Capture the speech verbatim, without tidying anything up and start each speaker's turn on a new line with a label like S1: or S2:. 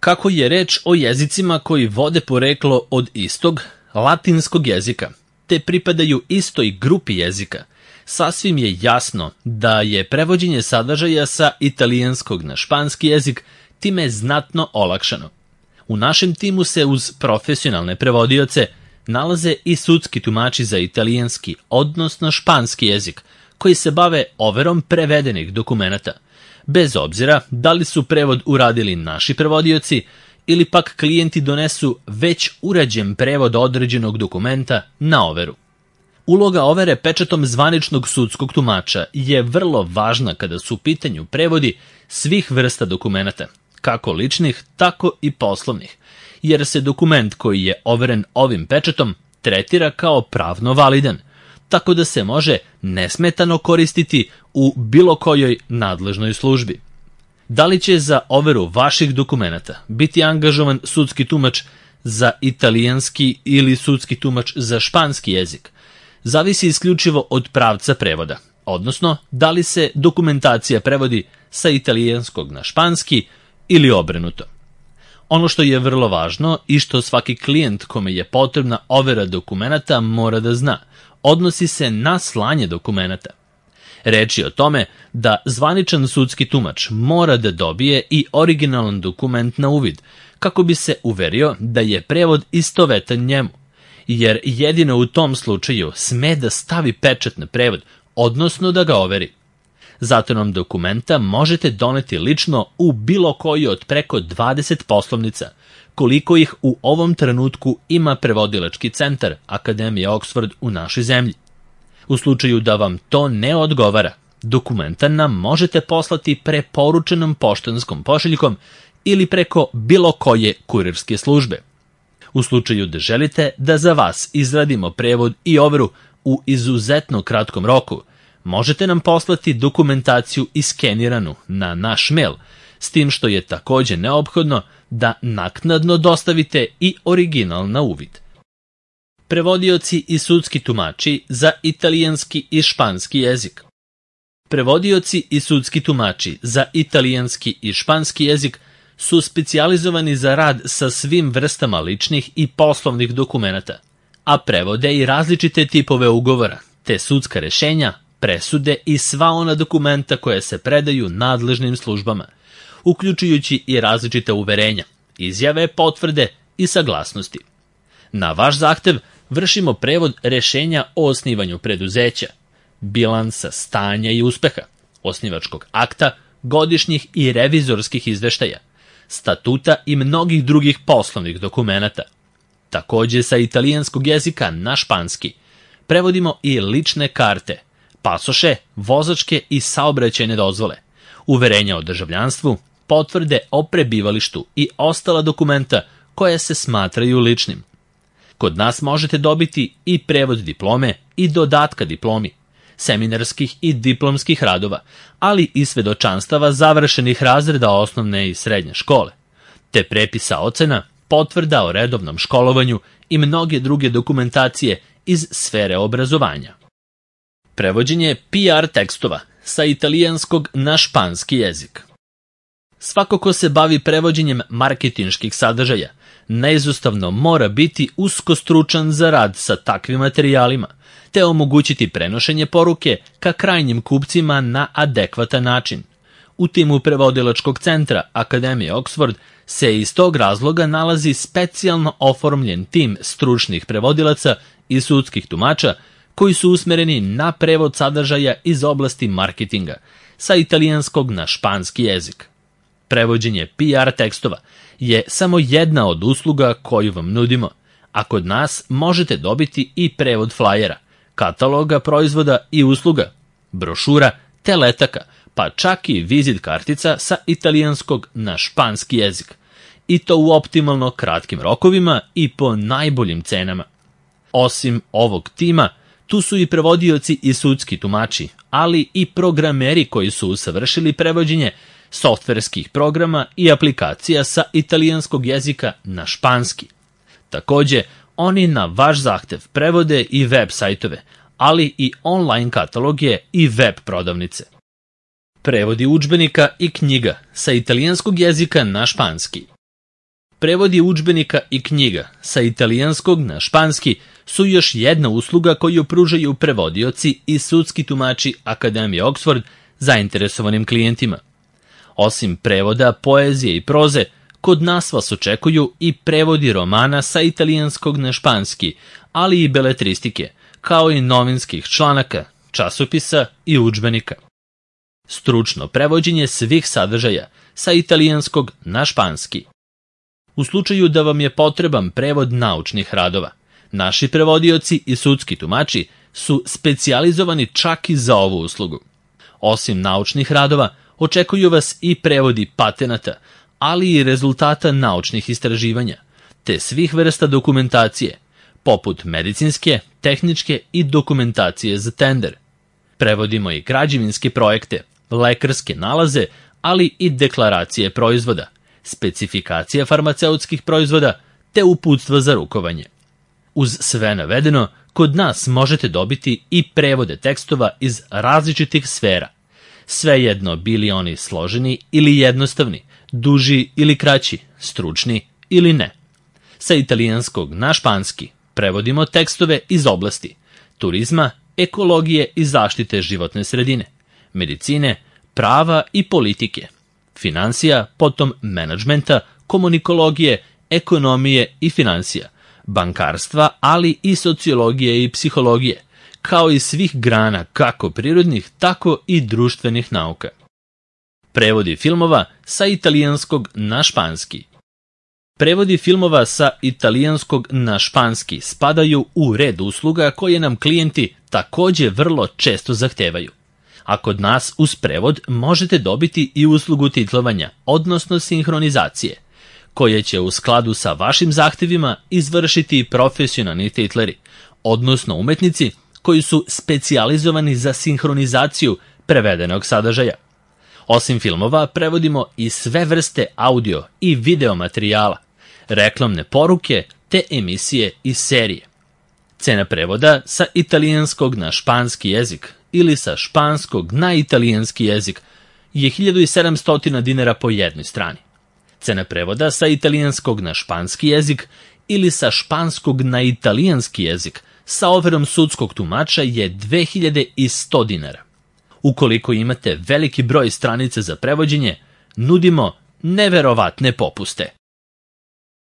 S1: Kako je reč o jezicima koji vode poreklo od istog, latinskog jezika, te pripadaju istoj grupi jezika, sasvim je jasno da je prevođenje sadržaja sa italijanskog na španski jezik time znatno olakšano. U našem timu se uz profesionalne prevodioce nalaze i sudski tumači za italijanski, odnosno španski jezik, koji se bave overom prevedenih dokumenata, bez obzira da li su prevod uradili naši prevodioci ili pak klijenti donesu već urađen prevod određenog dokumenta na overu. Uloga overe pečatom zvaničnog sudskog tumača je vrlo važna kada su u pitanju prevodi svih vrsta dokumenata, kako ličnih, tako i poslovnih, jer se dokument koji je overen ovim pečatom tretira kao pravno validan, tako da se može nesmetano koristiti u bilo kojoj nadležnoj službi. Da li će za overu vaših dokumenata biti angažovan sudski tumač za italijanski ili sudski tumač za španski jezik, zavisi isključivo od pravca prevoda, odnosno da li se dokumentacija prevodi sa italijanskog na španski ili obrnuto. Ono što je vrlo važno i što svaki klijent kome je potrebna overa dokumenata mora da zna, odnosi se na slanje dokumenata. Reč je o tome da zvaničan sudski tumač mora da dobije i originalan dokument na uvid, kako bi se uverio da je prevod istovetan njemu, jer jedino u tom slučaju sme da stavi pečat na prevod, odnosno da ga overi. Zato nam dokumenta možete doneti lično u bilo koji od preko dvadeset poslovnica, koliko ih u ovom trenutku ima prevodilački centar Akademije Oxford u našoj zemlji. U slučaju da vam to ne odgovara, dokumenta nam možete poslati preporučenom poštanskom pošiljkom ili preko bilo koje kurirske službe. U slučaju da želite da za vas izradimo prevod i overu u izuzetno kratkom roku, možete nam poslati dokumentaciju iskeniranu na naš mail, s tim što je takođe neophodno da naknadno dostavite i original na uvid. Prevodioci i sudski tumači za italijanski i španski jezik. Prevodioci i sudski tumači za italijanski i španski jezik su specijalizovani za rad sa svim vrstama ličnih i poslovnih dokumenata, a prevode i različite tipove ugovora, te sudska rešenja, presude i sva ona dokumenta koje se predaju nadležnim službama, uključujući i različite uverenja, izjave, potvrde i saglasnosti. Na vaš zahtev vršimo prevod rešenja o osnivanju preduzeća, bilansa, stanja i uspeha, osnivačkog akta, godišnjih i revizorskih izveštaja, statuta i mnogih drugih poslovnih dokumenata. Takođe sa italijanskog jezika na španski prevodimo i lične karte, pasoše, vozačke i saobraćajne dozvole, uverenja o državljanstvu, potvrde o prebivalištu i ostala dokumenta koja se smatraju ličnim. Kod nas možete dobiti i prevod diplome i dodatka diplomi, seminarskih i diplomskih radova, ali i svedočanstava završenih razreda osnovne i srednje škole, te prepisa ocena, potvrda o redovnom školovanju i mnoge druge dokumentacije iz sfere obrazovanja. Prevođenje P R tekstova sa italijanskog na španski jezik. Svako ko se bavi prevođenjem marketinških sadržaja, neizostavno mora biti usko stručan za rad sa takvim materijalima, te omogućiti prenošenje poruke ka krajnjim kupcima na adekvatan način. U timu prevodilačkog centra Akademije Oxford se iz tog razloga nalazi specijalno oformljen tim stručnih prevodilaca i sudskih tumača koji su usmereni na prevod sadržaja iz oblasti marketinga sa italijanskog na španski jezik. Prevođenje P R tekstova je samo jedna od usluga koju vam nudimo, a kod nas možete dobiti i prevod flajera, kataloga proizvoda i usluga, brošura te letaka, pa čak i vizit kartica sa italijanskog na španski jezik, i to u optimalno kratkim rokovima i po najboljim cenama. Osim ovog tima, tu su i prevodioci i sudski tumači, ali i programeri koji su usavršili prevođenje softverskih programa i aplikacija sa italijanskog jezika na španski. Takođe, oni na vaš zahtev prevode i web sajtove, ali i online kataloge i web prodavnice. Prevodi udžbenika i knjiga sa italijanskog jezika na španski. Prevodi udžbenika i knjiga sa italijanskog na španski su još jedna usluga koju pružaju prevodioci i sudski tumači Akademije Oxford zainteresovanim klijentima. Osim prevoda, poezije i proze, kod nas vas očekuju i prevodi romana sa italijanskog na španski, ali i beletristike, kao i novinskih članaka, časopisa i udžbenika. Stručno prevođenje svih sadržaja sa italijanskog na španski. U slučaju da vam je potreban prevod naučnih radova, naši prevodioci i sudski tumači su specijalizovani čak i za ovu uslugu. Osim naučnih radova, očekuju vas i prevodi patenata, ali i rezultata naučnih istraživanja, te svih vrsta dokumentacije, poput medicinske, tehničke i dokumentacije za tender. Prevodimo i građevinske projekte, lekarske nalaze, ali i deklaracije proizvoda, specifikacija farmaceutskih proizvoda, te uputstva za rukovanje. Uz sve navedeno, kod nas možete dobiti i prevode tekstova iz različitih sfera, svejedno bili oni složeni ili jednostavni, duži ili kraći, stručni ili ne. Sa italijanskog na španski prevodimo tekstove iz oblasti turizma, ekologije i zaštite životne sredine, medicine, prava i politike, finansija, potom menadžmenta, komunikologije, ekonomije i finansija, bankarstva, ali i sociologije i psihologije, kao i svih grana kako prirodnih, tako i društvenih nauka. Prevodi filmova sa italijanskog na španski. Prevodi filmova sa italijanskog na španski spadaju u red usluga koje nam klijenti takođe vrlo često zahtevaju. A kod nas uz prevod možete dobiti i uslugu titlovanja, odnosno sinhronizacije, koje će u skladu sa vašim zahtevima izvršiti profesionalni titleri, odnosno umetnici koji su specijalizovani za sinhronizaciju prevedenog sadržaja. Osim filmova, prevodimo i sve vrste audio i video materijala, reklamne poruke te emisije i serije. Cena prevoda sa italijanskog na španski jezik ili sa španskog na italijanski jezik je hiljadu sedamsto dinara po jednoj strani. Cena prevoda sa italijanskog na španski jezik ili sa španskog na italijanski jezik sa overom sudskog tumača je dve hiljade sto dinara. Ukoliko imate veliki broj stranica za prevođenje, nudimo neverovatne popuste.